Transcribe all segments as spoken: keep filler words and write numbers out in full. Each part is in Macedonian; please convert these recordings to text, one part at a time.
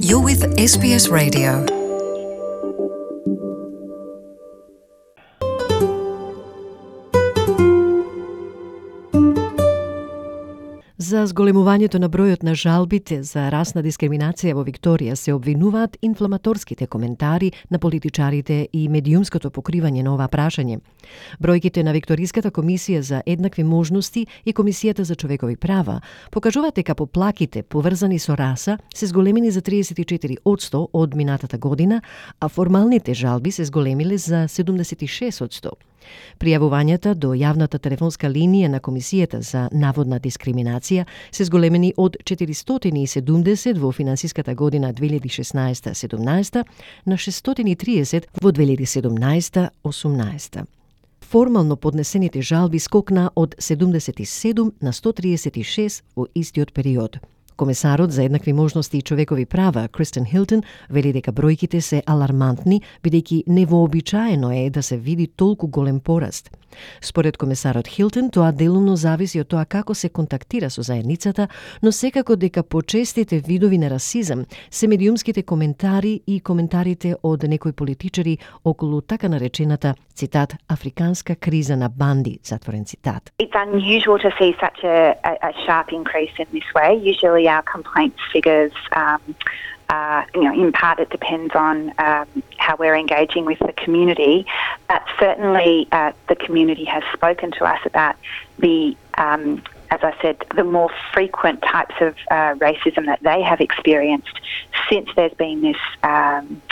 You're with S B S Radio. За зголемувањето на бројот на жалбите за расна дискриминација во Викторија се обвинуваат инфламаторските коментари на политичарите и медиумското покривање на ова прашање. Бројките на Викториската комисија за еднакви можности и Комисијата за човекови права покажуваат дека поплаките поврзани со раса се зголемени за триесет и четири одсто од минатата година, а формалните жалби се зголемиле за седумдесет и шест одсто. Пријавувањата до јавната телефонска линија на Комисијата за наводна дискриминација се зголемени од четиристотини и седумдесет во финансиската година две илјади и шеснаесета седумнаесета на шестстотини и триесет во две илјади и седумнаесета осумнаесета. Формално поднесените жалби скокна од седумдесет и седум на сто триесет и шест во истиот период. Комесарот за еднакви можности и човекови права Кристен Хилтон вели дека бројките се алармантни, бидејќи невообичаено е да се види толку голем пораст. Според комесарот Хилтон, тоа делумно зависи од тоа како се контактира со заедницата, но секако дека почестите видови на расизам се медиумските коментари и коментарите од некои политичари околу така наречената, цитат, африканска криза на банди, затворен цитат. It's unusual to see such a, a, a sharp increase in this way. Usually our complaints figures, um, uh, you know, in part it depends on um, how we're engaging with the community, but certainly uh, the community has spoken to us about the, um, as I said, the more frequent types of uh, racism that they have experienced since there's been this um,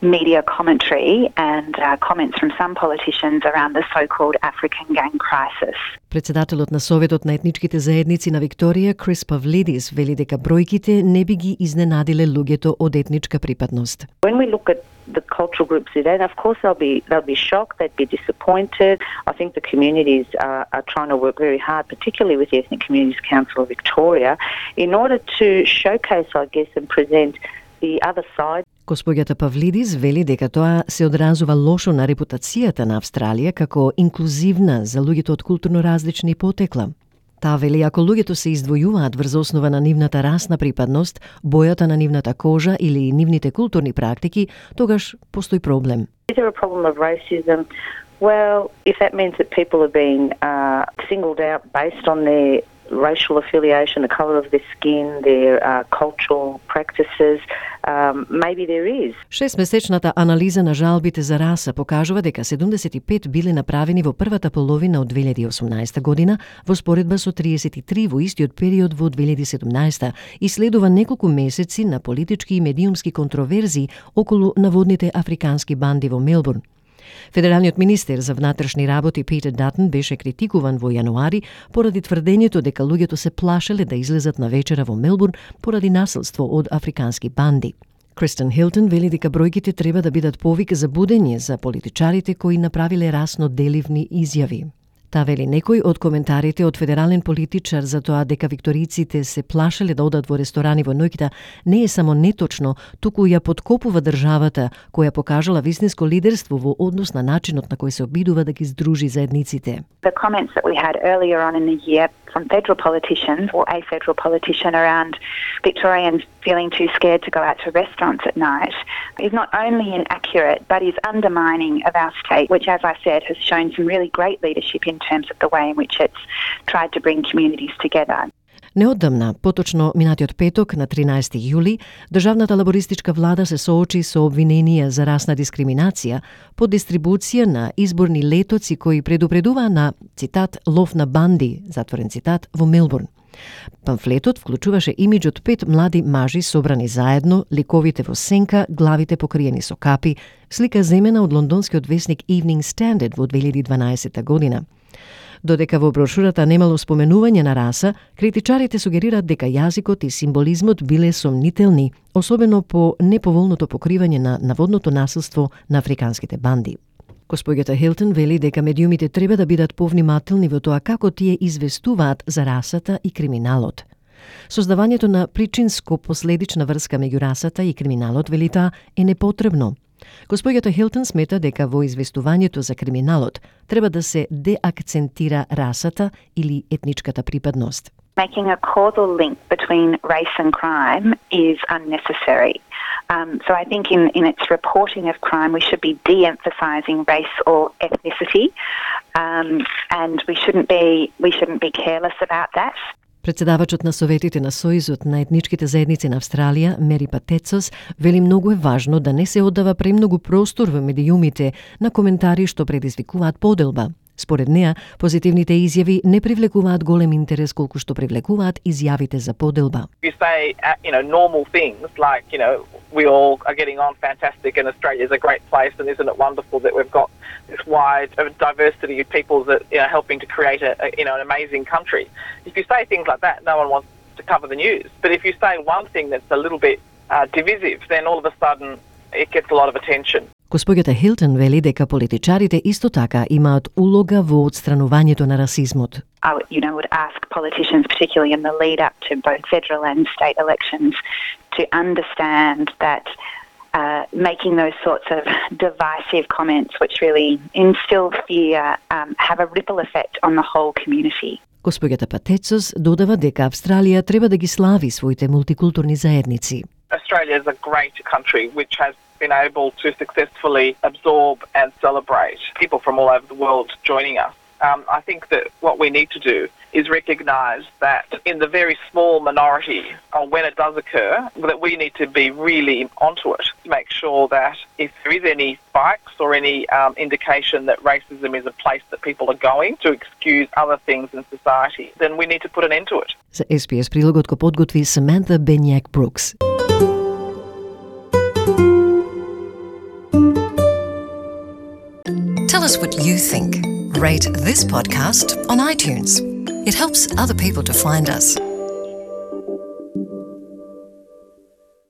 media commentary and uh, comments from some politicians around the so-called African gang crisis. Председателот на Советот на етничките заедници на Викторија, Крис Павлидис, вели дека бројките не би ги изненадиле луѓето од етничка припадност. When we look at the cultural groups today, of course they'll be they'll be shocked, they'd be disappointed. I think the communities are, are trying to work very hard, particularly with the Ethnic Communities Council of Victoria, in order to showcase, I guess, and present the other side. Госпоѓата Павлидис вели дека тоа се одразува лошо на репутацијата на Австралија како инклузивна за луѓето од културно различни потекла. Таа вели ако луѓето се издвојуваат врз основа на нивната расна припадност, бојата на нивната кожа или нивните културни практики, тогаш постои проблем. Is there a problem of racism? Well, if that means that people are being uh, singled out based on their racial affiliation, the colour of their skin, their uh, cultural practices, um, maybe there is. Шестмесечната анализа на жалбите за раса покажува дека седумдесет и пет биле направени во првата половина од две илјади и осумнаесета година во споредба со триесет и три во истиот период во две илјади и седумнаесета и следува неколку месеци на политички и медиумски контроверзии околу наводните африкански банди во Мелбурн. Федералниот министер за внатрешни работи Питер Датон беше критикуван во јануари поради тврдењето дека луѓето се плашеле да излезат на вечера во Мелбурн поради насилство од африкански банди. Кристен Хилтон вели дека бројките треба да бидат повик за будење за политичарите кои направиле расно деливни изјави. Та вели некој од коментарите од федерален политичар за тоа дека викториците се плашеле да одат во ресторани во ноќта не е само неточно, туку ја подкопува државата која покажала вистинско лидерство во однос на начинот на кој се обидува да ги здружи заедниците. The comments that we had earlier on in the year from federal politicians or a federal politician around Victorians feeling too scared to go out to restaurants at night is not only inaccurate but is undermining of our state, which, as I said, has shown some really great leadership in terms of the way in which it's tried to bring communities together. Неодамна, поточно минатиот петок на тринаесети јули, државната лабористичка влада се соочи со обвиненија за расна дискриминација по дистрибуција на изборни летоци кои предупредуваа на, цитат, лов на банди, затворен цитат, во Мелбурн. Памфлетот вклучуваше имиџот пет млади мажи собрани заедно, ликовите во сенка, главите покриени со капи, слика земена од лондонскиот весник Evening Standard во две илјади и дванаесета година. Додека во брошурата немало споменување на раса, критичарите сугерираат дека јазикот и символизмот биле сомнителни, особено по неповолното покривање на наводното насилство на африканските банди. Госпоѓата Хилтон вели дека медиумите треба да бидат повнимателни во тоа како тие известуваат за расата и криминалот. Создавањето на причинско-последична врска меѓу расата и криминалот, вели таа, е непотребно. Госпоѓата Хилтон смета дека во известувањето за криминалот треба да се деакцентира расата или етничката припадност. Making a causal link between race and crime is unnecessary. Um, so I think in, in its reporting of crime, we should be de-emphasising race or ethnicity, um, and we shouldn't be we shouldn't be careless about that. Председавачот на Советите на Сојузот на етничките заедници на Австралија, Мери Патецос, вели многу е важно да не се оддава премногу простор во медиумите на коментари што предизвикуваат поделба. Според неа, позитивните изјави не привлекуваат голем интерес колку што привлекуваат изјавите за поделба. You say, uh, you know, normal things like, you know, we all are getting on fantastic and Australia is a great place and isn't it wonderful that we've got this wide diversity of peoples that, you know, helping to create a, a you know, an amazing country. If you say things like that, no one wants to cover the news. But if you say one thing that's a little bit uh, divisive, then all of a sudden it gets a lot of attention. Госпоѓата Хилтон вели дека политичарите исто така имаат улога во отстранувањето на расизмот. I would, you know, would ask politicians, particularly in the lead up to both federal and state elections, to understand that uh, making those sorts of divisive comments, which really instill fear, um, have a ripple effect on the whole community. Госпоѓата Патецос додава дека Австралија треба да ги слави своите мултикултурни заедници. Australia is a great country which has been able to successfully absorb and celebrate people from all over the world joining us. Um, I think that what we need to do is recognise that in the very small minority, or when it does occur, that we need to be really onto it to make sure that if there is any spikes or any um, indication that racism is a place that people are going to excuse other things in society, then we need to put an end to it. За Ес Би Ес прилогот го подготви Саманта Бенјак Брукс. Tell us what you think. Rate this podcast on iTunes. It helps other people to find us.